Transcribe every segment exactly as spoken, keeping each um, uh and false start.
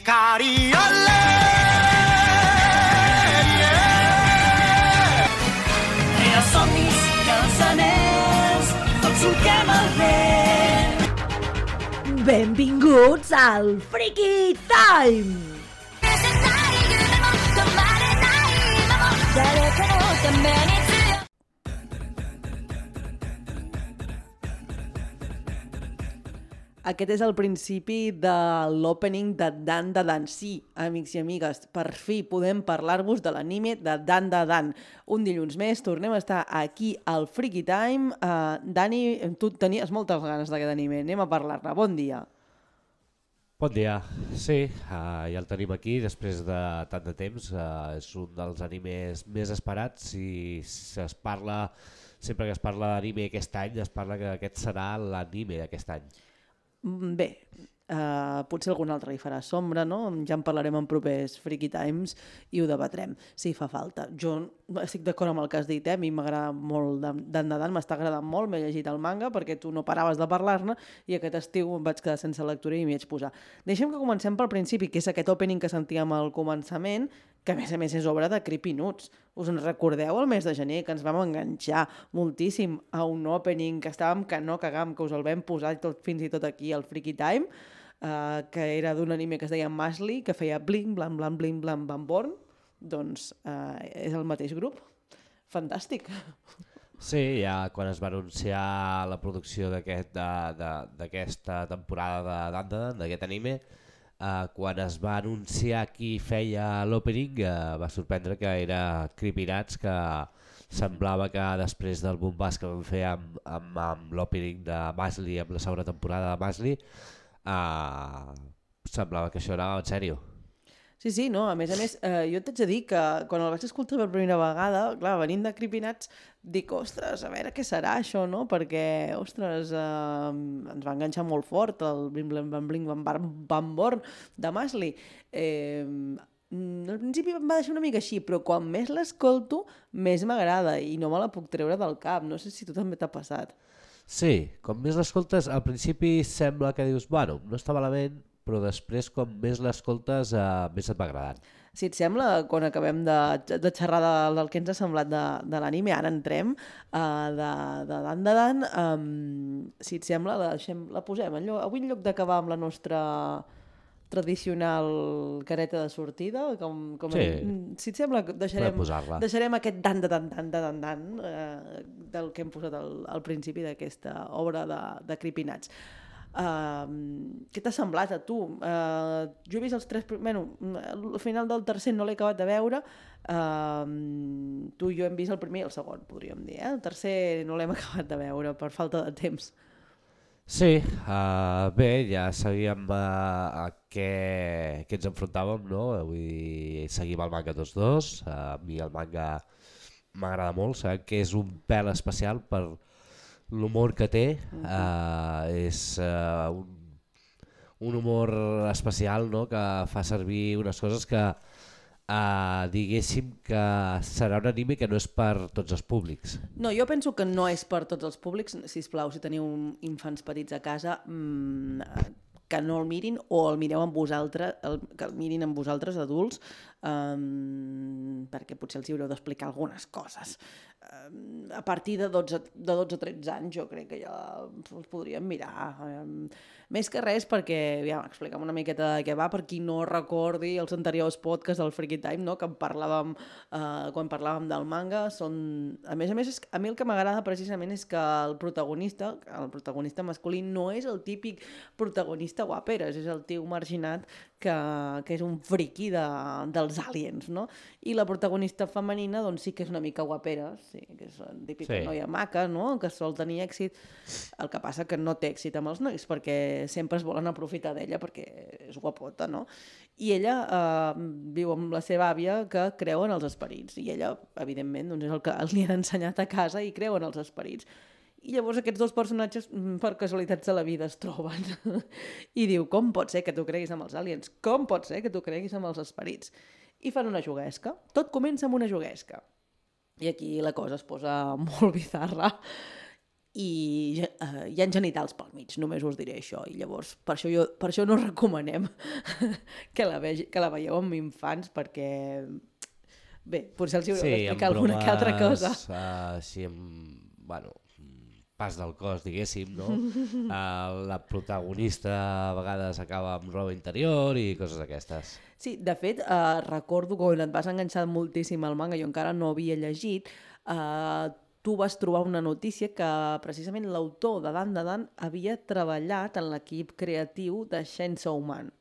Ikari ole, yeah. Rere somnis, cançoners, tots solquem el vent. Benvinguts al Freaky Time! Aquest és el principi de l'opening de Dan Da Dan. Sí, amics i amigues, per fi podem parlar-vos de l'anime de Dan Da Dan. Un dilluns més tornem a estar aquí al Freaky Time. Uh, Dani, tu tenies moltes ganes d'aquest anime, anem a parlar-ne. Bon dia. Bon dia, sí, uh, ja el tenim aquí després de tant de temps. Uh, és un dels animes més esperats i es parla, sempre que es parla d'anime aquest any, es parla que aquest serà l'anime d'aquest any. Bé, uh, potser algun altre hi farà sombra, no? Ja en parlarem en propers Freaky Times i ho debatrem, si fa falta. Jo estic d'acord amb el que has dit, eh? A mi m'agrada molt, Dan Da Dan, m'està agradant molt, m'he llegit el manga perquè tu no paraves de parlar-ne i aquest estiu em vaig quedar sense lectura i m'hi vaig posar. Deixem que comencem pel principi, que és aquest opening que sentíem al començament, que a més a més és obra de Creepy Nuts. Us en recordeu el mes de gener que ens vam enganxar moltíssim a un opening que estàvem que no cagàvem, que us el vam posar tot, fins i tot aquí al Freaky Time, uh, que era d'un anime que es deia Mashley, que feia bling, blan, blan, bling, blan, blan, born. Doncs uh, és el mateix grup. Fantàstic. Sí, ja quan es va anunciar la producció d'aquesta aquest, temporada de Dan Da Dan, d'aquest anime, Uh, quan es va anunciar qui feia l'opening, uh, va sorprendre que era Creepy Nuts, que semblava que després del bombàs que vam fer amb, amb, amb l'opening de Mashley, amb la segona temporada de Mashley, uh, semblava que això era en sèrio. Sí, sí, no, a més a més, eh, jo t'haig de dir que quan el vaig escoltar per primera vegada, clar, venint de Creepy Nuts, dic, ostres, a veure què serà això, no? Perquè, ostres, eh, ens va enganxar molt fort el Blim Blim Bam Bling Bam Bam Bam Born de Mashley. Eh, al principi em va deixar una mica així, però quan més l'escolto, més m'agrada i no me la puc treure del cap. No sé si tu també t'ha passat. Sí, com més l'escoltes, al principi sembla que dius, bueno, no està malament, però després, com més l'escoltes, eh, més et va agradant. Si et sembla, quan acabem de, de xerrar de, del que ens ha semblat de, de l'anime, ara entrem uh, de, de Dan Da Dan, um, si et sembla, la, deixem, la posem. En lloc, avui en lloc d'acabar amb la nostra tradicional careta de sortida, com, com sí. hem, si et sembla, deixarem, deixarem aquest Dan Da Dan, Dan Da Dan, Dan uh, del que hem posat al, al principi d'aquesta obra de, de Creepy Nuts. Uh, què t'ha semblat a tu? Uh, jo he vist els tres... Bueno, al final del tercer no l'he acabat de veure. Uh, tu i jo hem vist el primer i el segon, podríem dir. Eh? El tercer no l'hem acabat de veure per falta de temps. Sí, uh, bé, ja sabíem uh, a què, què ens enfrontàvem, no? Avui seguim el manga tots dos. Uh, a mi el manga m'agrada molt, sabem que és un pèl especial per l'humor que té, uh, és uh, un, un humor especial, no? Que fa servir unes coses que uh, diguéssim que serà un anime que no és per tots els públics. No, jo penso que no és per tots els públics. Sisplau, si teniu infants petits a casa, mmm, que no el mirin o el mireu amb vosaltres, el, que el mirin amb vosaltres adults, um, perquè potser els hi haureu d'explicar algunes coses. Um, a partir de dotze a tretze anys jo crec que ja els podríem mirar. Um, més que res perquè, ja, explica'm una miqueta de què va, per qui no recordi els anteriors podcasts del Freaky Time, no? Que en parlàvem, uh, quan parlàvem del manga. Són... A més a més, a mi el que m'agrada precisament és que el protagonista, el protagonista masculí no és el típic protagonista guaperes, és el tio marginat que, que és un friqui de, dels aliens, no? I la protagonista femenina doncs sí que és una mica guapera, sí, que és la típica sí. Noia maca, no? Que sol tenir èxit. El que passa que no té èxit amb els nois perquè sempre es volen aprofitar d'ella perquè és guapota, no? I ella eh, viu amb la seva àvia que creu en els esperits i ella, evidentment, doncs és el que li han ensenyat a casa i creu en els esperits. I llavors aquests dos personatges, per casualitats de la vida, es troben i diu, com pot ser que tu creguis amb els aliens? Com pot ser que tu creguis amb els esperits? I fan una juguesca. Tot comença amb una juguesca. I aquí la cosa es posa molt bizarra. i uh, hi ha genitals pel mig, només us diré això, i llavors per això, jo, per això no recomanem que la, vegi, que la veieu amb infants, perquè bé, potser els hi haureu Sí, d'explicar amb alguna que altra cosa. bromes, uh, així amb, bueno, pas del cos, diguéssim, no? Uh, la protagonista a vegades acaba amb roba interior i coses d'aquestes. Sí, de fet, uh, recordo que quan et vas enganxar moltíssim al manga, jo encara no havia llegit, uh, tu vas trobar una notícia que precisament l'autor de Dan de Dan havia treballat en l'equip creatiu de Chainsaw Man,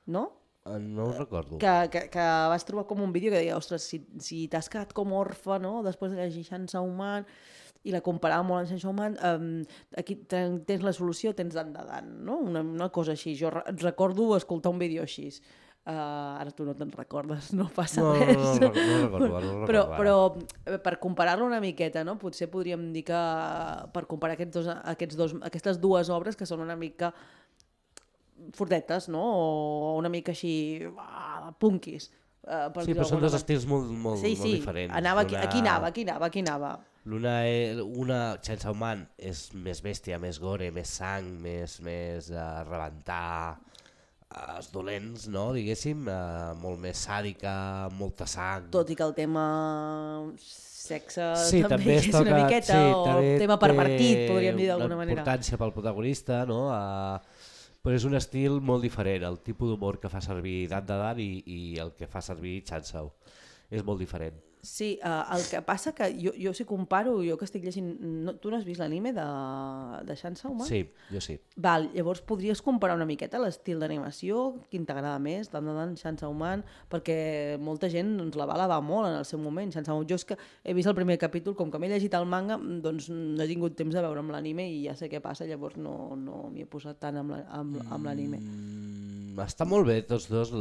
no? Uh, no ho recordo. Que, que, que vas trobar com un vídeo que deia, ostres, si, si t'has quedat com orfe, no?, després de llegir Chainsaw Man, i la comparava molt amb Chainsaw Man, um, aquí tens la solució, tens Dan de Dan, no? Una, una cosa així. Jo re recordo escoltar un vídeo així. Uh, ara tu no te'n recordes, no passa no, res. No, no, no, no recordo, no recordo però, ara. però per comparar-lo una miqueta, no? Potser podríem dir que per comparar aquests dos, aquests dos, aquestes dues obres que són una mica fortetes, no? O una mica així ah, punkis. Uh, per sí, però són dos estils molt, molt, sí, molt sí. diferents. Anava, una... Aquí anava, aquí anava, aquí anava. L'una, una Chainsaw Man és més bèstia, més gore, més sang, més, més uh, rebentar, uh, els dolents, no? Diguéssim, uh, molt més sàdica, molta sang. Tot i que el tema sexe sí, també, també és una miqueta, sí, o el tema pervertit, podríem dir d'alguna manera. Importància pel protagonista, no? Uh, però és un estil molt diferent, el tipus d'humor que fa servir Dan de Dan i, i el que fa servir Chainsaw. És molt diferent. Sí, uh, el que passa que jo, jo si comparo, jo que estic llegint... No, tu no has vist l'anime de, de Chainsaw Man? Sí, jo sí. Val, llavors podries comparar una miqueta l'estil d'animació, quin t'agrada més, Dan de Dan, Chainsaw Man, perquè molta gent ens la va alabar molt en el seu moment. Chainsaw Man, jo és que he vist el primer capítol, com que m'he llegit el manga, doncs no he tingut temps de veure amb l'anime i ja sé què passa, llavors no, no m'hi he posat tant amb l'anime. Mm, està molt bé tots dos,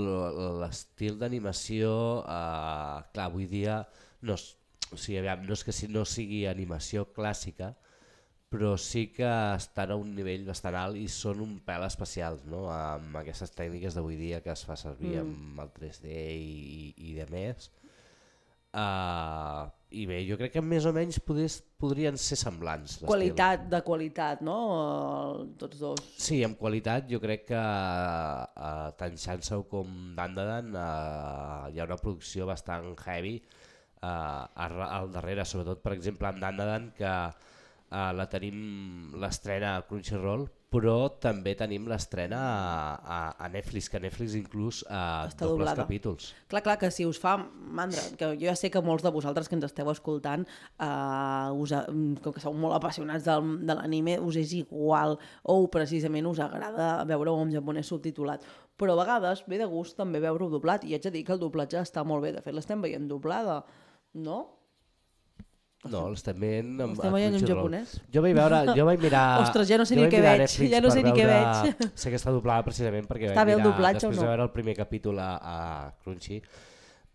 l'estil d'animació, uh, clar, avui dia no, o sigui, aviam, no és que no sigui animació clàssica, però sí que estan a un nivell bastant alt i són un pèl especials, no? Amb aquestes tècniques d'avui dia que es fa servir mm. amb el tres D i, i de més. Uh, I bé, jo crec que més o menys podries, podrien ser semblants. Qualitat de qualitat, no? Tots dos. Sí, amb qualitat jo crec que uh, tant Chainsaw com Dan de Dan uh, hi ha una producció bastant heavy Uh, al darrere, sobretot per exemple amb Dan de Dan, que uh, la tenim l'estrena a Crunchyroll, però també tenim l'estrena a, a, a Netflix, que Netflix inclús uh, dobles doblada. Capítols. Clar, clar, que si us fa mandra, que jo ja sé que molts de vosaltres que ens esteu escoltant, uh, us, com que sou molt apassionats de, de l'anime, us és igual o precisament us agrada veure-ho en japonès subtitulat. Però a vegades ve de gust també veure-ho doblat, i haig de dir que el doblatge està molt bé, de fet l'estem veient doblada. No? No, l'estem veient en, l'estem veient en japonès. Jo vaig veure, jo vaig mirar... Ostres, ja no sé ni què veig, ja no sé ni què veig. Sé que està doblada precisament perquè està vaig mirar, doblatge, després no? de veure el primer capítol a, a Crunchy,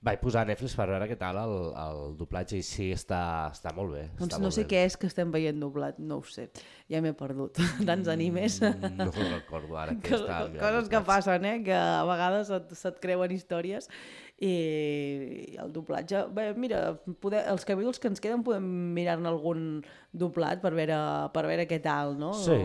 vaig posar a Netflix per veure què tal el, el doblatge i sí, està, està molt bé. Doncs està no molt sé bé. què és que estem veient doblat, no ho sé. Ja m'he perdut. Tants animes. Mm, no ho recordo ara. Que Cos, està coses que passen, eh? Que a vegades se't, se't creuen històries i el doblatge... Bé, mira, poder, els capítols que ens queden podem mirar-ne algun doblat per veure, per veure què tal, no? Sí.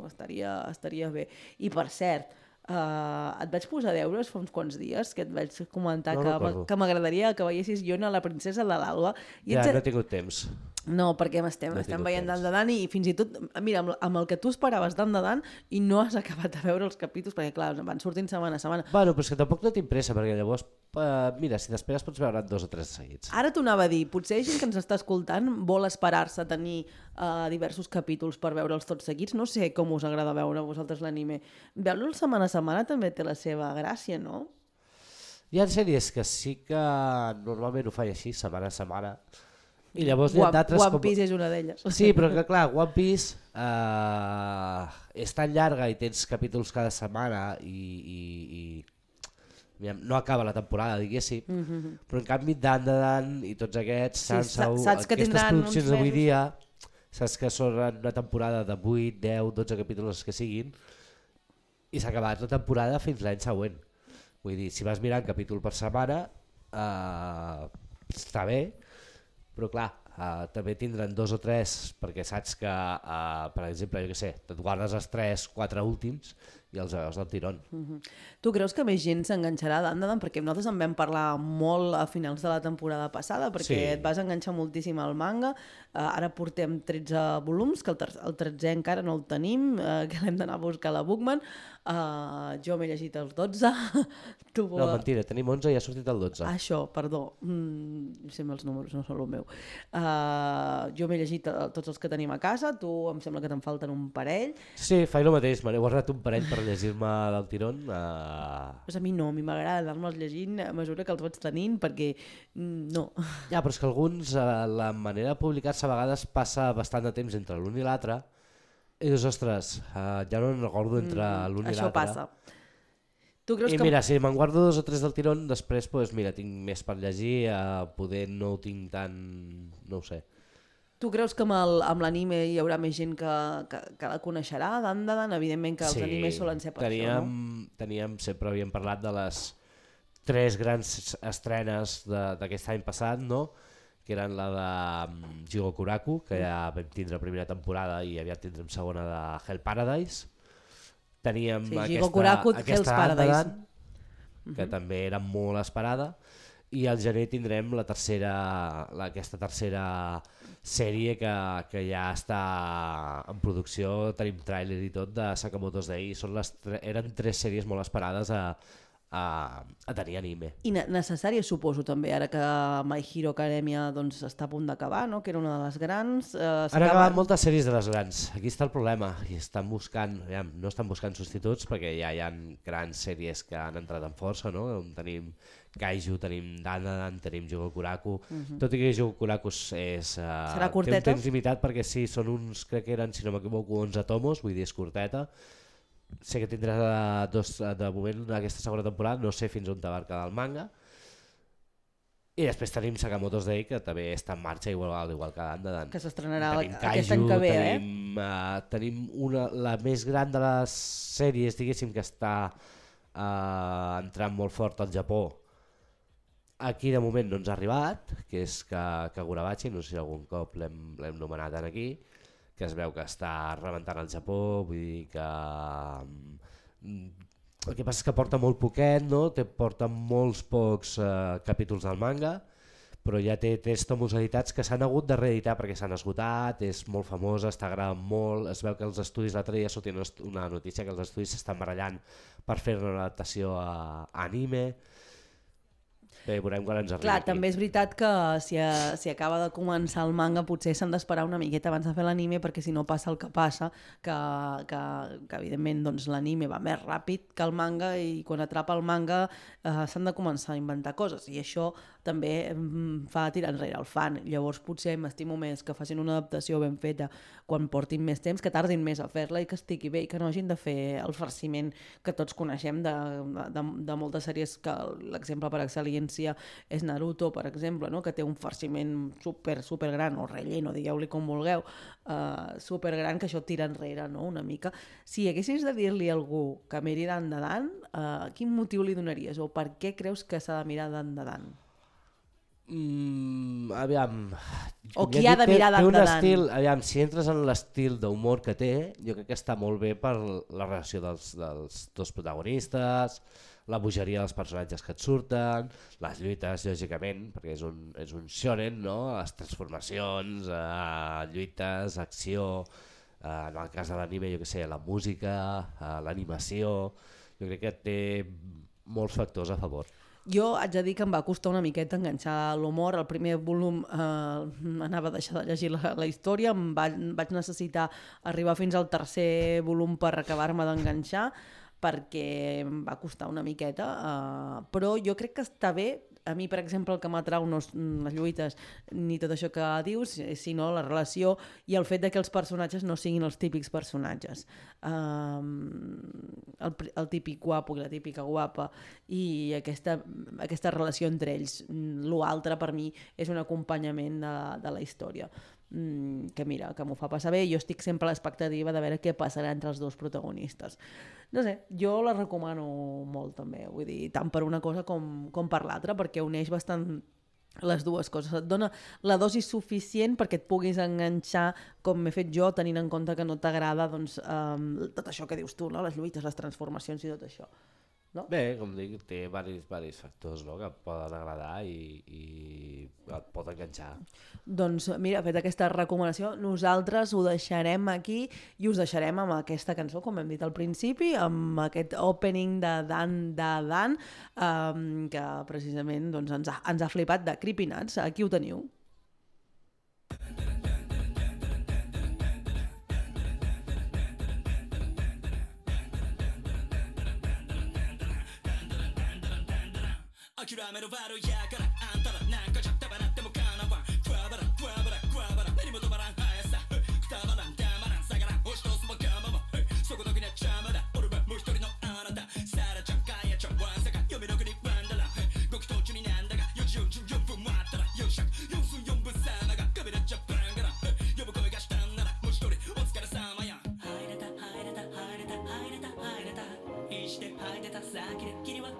Estaria, estaria bé. I per cert, Uh, et vaig posar deures fa uns quants dies que et vaig comentar no que, que m'agradaria que veiessis Yona, la princesa de l'Alba. Ja, no he tingut temps. No, perquè estem, no estem veient Dan de Dan i fins i tot, mira, amb, amb el que tu esperaves Dan de Dan i no has acabat de veure els capítols perquè clar, van sortint setmana a setmana. Bueno, però és que tampoc no tinc pressa perquè llavors, uh, mira, si t'esperes pots veure dos o tres seguits. Ara t'ho anava a dir, potser gent que ens està escoltant vol esperar-se a tenir uh, diversos capítols per veure'ls tots seguits. No sé com us agrada veure a vosaltres l'anime. Veure-lo setmana a setmana també té la seva gràcia, no? Hi ha sèries que sí que normalment ho faig així, setmana a setmana, i llavors hi ha d'altres... One Piece com... és una d'elles. Sí, però que clar, One Piece uh, és tan llarga i tens capítols cada setmana i, i, i no acaba la temporada, diguéssim, mm-hmm. però en canvi Dan de Dan i tots aquests, sí, Chainsaw, aquestes produccions d'avui dia, saps que són una temporada de vuit, deu, dotze capítols que siguin, i s'ha acabat la temporada fins l'any següent. Vull dir, si vas mirant capítol per setmana, uh, està bé, però clar, uh, també tindran dos o tres, perquè saps que, uh, per exemple, jo què sé, et guardes els tres, quatre últims i els veus del tirón. Uh-huh. Tu creus que més gent s'enganxarà a Dandadan? Perquè nosaltres en vam parlar molt a finals de la temporada passada, perquè Sí. et vas enganxar moltíssim al manga. Uh, ara portem tretze volums, que el, ter el tretzè encara no el tenim, uh, que l'hem d'anar a buscar a la Bookman. Uh, jo m'he llegit els dotze. tu, No, mentira, tenim onze i ha sortit el dotze. Això, perdó. Mm, sembla els números, no són el meu. Uh, jo m'he llegit uh, tots els que tenim a casa, tu em sembla que te'n falten un parell. Sí, faig el mateix, me n'he guardat un parell per llegir-me del tirón. Uh... Pues a mi no, a mi m'agrada anar-me'ls llegint a mesura que els vaig tenint, perquè mm, no. Ja, però és que alguns, uh, la manera de publicar-se a vegades passa bastant de temps entre l'un i l'altre, i dius, ostres, uh, ja no en recordo entre mm, l'un i l'altre. Això passa. Tu creus I que... mira, si me'n guardo dos o tres del tirón, després pues, mira, tinc més per llegir, uh, poder no ho tinc tan... no ho sé. Tu creus que amb l'anime hi haurà més gent que, que, que la coneixerà, Dandadan? Evidentment que els Sí, animes solen ser per teníem, això, no? Teníem, sempre havíem parlat de les tres grans estrenes d'aquest any passat, no? Que eren la de um, Jigokuraku, que ja vam tindre primera temporada i aviat tindrem segona de Hell Paradise. Teníem Sí, aquesta, Jigokuraku, Hell's aquesta Paradise. Dandadan, que uh -huh. també era molt esperada, i al gener tindrem la tercera, la, aquesta tercera sèrie que, que ja està en producció, tenim tràiler i tot, de Sakamoto's Day. Són les tre eren tres sèries molt esperades a, a, a tenir anime. I ne necessària, suposo, també, ara que My Hero Academia doncs, està a punt d'acabar, no? Que era una de les grans. Eh, Han acabat moltes sèries de les grans. Aquí està el problema. I estan buscant, ja, no estan buscant substituts perquè ja hi ha grans sèries que han entrat en força, no? On tenim Kaiju, tenim Dandadan, tenim Jigokuraku. Uh -huh. Tot i que Jigokuraku és... Uh, Serà curteta? Té un temps limitat perquè sí, són uns, crec que eren, si no m'equivoco, onze tomos, vull dir, és curteta. Sé que tindrà dos, de moment aquesta segona temporada, no sé fins on va quedar el manga. I després tenim Sakamoto's Day, que també està en marxa, igual, igual que Dandadan. Que s'estrenarà Tenim aquest Kaiju, any que ve, tenim, eh? Uh, tenim una, la més gran de les sèries, diguéssim, que està uh, entrant molt fort al Japó. Aquí de moment no ens ha arribat, que és Kagurabachi, no sé si algun cop l'hem nomenat aquí, que es veu que està rebentant al Japó, vull dir que... El que passa és que porta molt poquet, no? Té, porta molts pocs eh, capítols del manga, però ja té tres tomos editats que s'han hagut de reeditar perquè s'han esgotat, és molt famosa, està agradant molt, es veu que els estudis, l'altre dia sortia una notícia que els estudis s'estan barallant per fer una adaptació a, a anime. Bé, veurem quan ens arribi. Clar, aquí. també és veritat que si, a, si acaba de començar el manga potser s'han d'esperar una miqueta abans de fer l'anime, perquè si no passa el que passa, que, que, que evidentment doncs, l'anime va més ràpid que el manga i quan atrapa el manga eh, s'han de començar a inventar coses i això també mm, fa tirar enrere el fan. Llavors potser m'estimo més que facin una adaptació ben feta quan portin més temps, que tardin més a fer-la i que estigui bé i que no hagin de fer el farciment que tots coneixem de, de, de moltes sèries, que l'exemple per excel·lència és Naruto, per exemple, no? Que té un farciment super, super gran, o relleno, digueu-li com vulgueu, uh, super gran, que això tira enrere, no? Una mica. Si haguessis de dir-li a algú que miri Dandadan, uh, quin motiu li donaries? O per què creus que s'ha de mirar Dandadan? Mm, aviam... O com qui ja ha de dic, té- mirar té un Dandadan? estil, aviam, si entres en l'estil d'humor que té, jo crec que està molt bé per la relació dels, dels dos protagonistes, la bogeria dels personatges que et surten, les lluites, lògicament, perquè és un, és un shonen, no? Les transformacions, eh, lluites, acció, eh, en el cas de l'anime, jo què sé, la música, eh, l'animació, jo crec que té molts factors a favor. Jo haig de dir que em va costar una miqueta enganxar l'humor. El primer volum eh, anava a deixar de llegir la, la història, em va, vaig necessitar arribar fins al tercer volum per acabar-me d'enganxar, perquè em va costar una miqueta, eh, però jo crec que està bé. A mi, per exemple, el que m'atrau no són les lluites ni tot això que dius, sinó la relació i el fet de que els personatges no siguin els típics personatges. Um, el, el típic guapo i la típica guapa i aquesta, aquesta relació entre ells. L'altre, per mi, és un acompanyament de, de la història. Mm, que mira, que m'ho fa passar bé. Jo estic sempre a l'expectativa de veure què passarà entre els dos protagonistes. No sé, jo la recomano molt també, vull dir, tant per una cosa com, com per l'altra, perquè uneix bastant les dues coses. Et dona la dosi suficient perquè et puguis enganxar, com m'he fet jo, tenint en compte que no t'agrada doncs, um, tot això que dius tu, no? Les lluites, les transformacions i tot això. No? Bé, com dic, té varis, varis factors, no?, que et poden agradar i, i et pot enganxar. Doncs mira, fet aquesta recomanació, nosaltres ho deixarem aquí i us deixarem amb aquesta cançó, com hem dit al principi, amb aquest opening de Dan Da Dan, um, que precisament doncs, ens, ha, ens ha flipat, de Creepy Nuts. Aquí ho teniu.諦めろ悪いやからあんたらなんかじゃたばらってもかなわんふわばらふわばらふわばら目にも止まらん速さくたばらんたまらん下がらん押し通すも我慢もそこだけには邪魔だ俺はもう一人のあなたサラちゃんガヤちゃんワンサカ読めの国ワンダラ極途中になんだがよじよんじゅうよんぷんもあったらよんしゃくよんすんよんぶんさまがカメラジャパンから呼ぶ声がしたんならもう一人お疲れさまや入れた入れた入れた入れた入れた入して入ってた先で君は